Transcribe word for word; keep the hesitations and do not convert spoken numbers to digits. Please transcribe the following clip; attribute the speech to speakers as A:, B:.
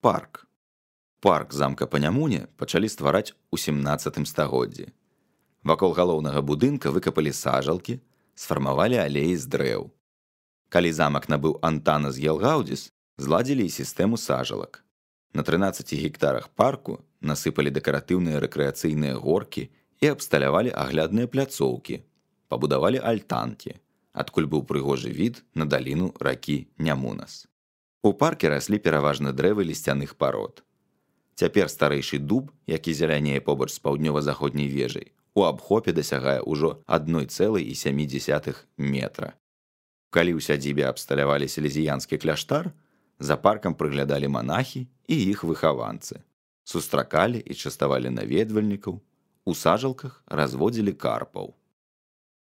A: Парк. Парк замка Панямуне пачалі ствараць у сямнаццатым стагоддзі. Вакол галоўнага будынка выкапалі сажалкі, сфармавалі алеі з дрэў. Калі замак набыў Антанас Гелгаудзіс, зладзілі і сістэму сажалак. На трынаццаці гектарах парку насыпалі дэкаратыўныя рэкрэацыйныя горкі і абсталявалі аглядныя пляцоўкі, пабудавалі альтанкі, адкуль быў прыгожы від на даліну ракі Нямунас. У парке раслі пераважна дрэвы лісцяных парод. Цяпер старэйшы дуб, які зелянее побач з паўднёва-заходняй вежай, у абхопе дасягае ўжо адна цэлая сем дзесятых метра. Калі ў сядзібе абсталявалі селезіянскі кляштар, за паркам прыглядалі манахі і іх выхаванцы. Сустракалі і частавалі наведвальнікаў, у сажалках разводзілі карпаў.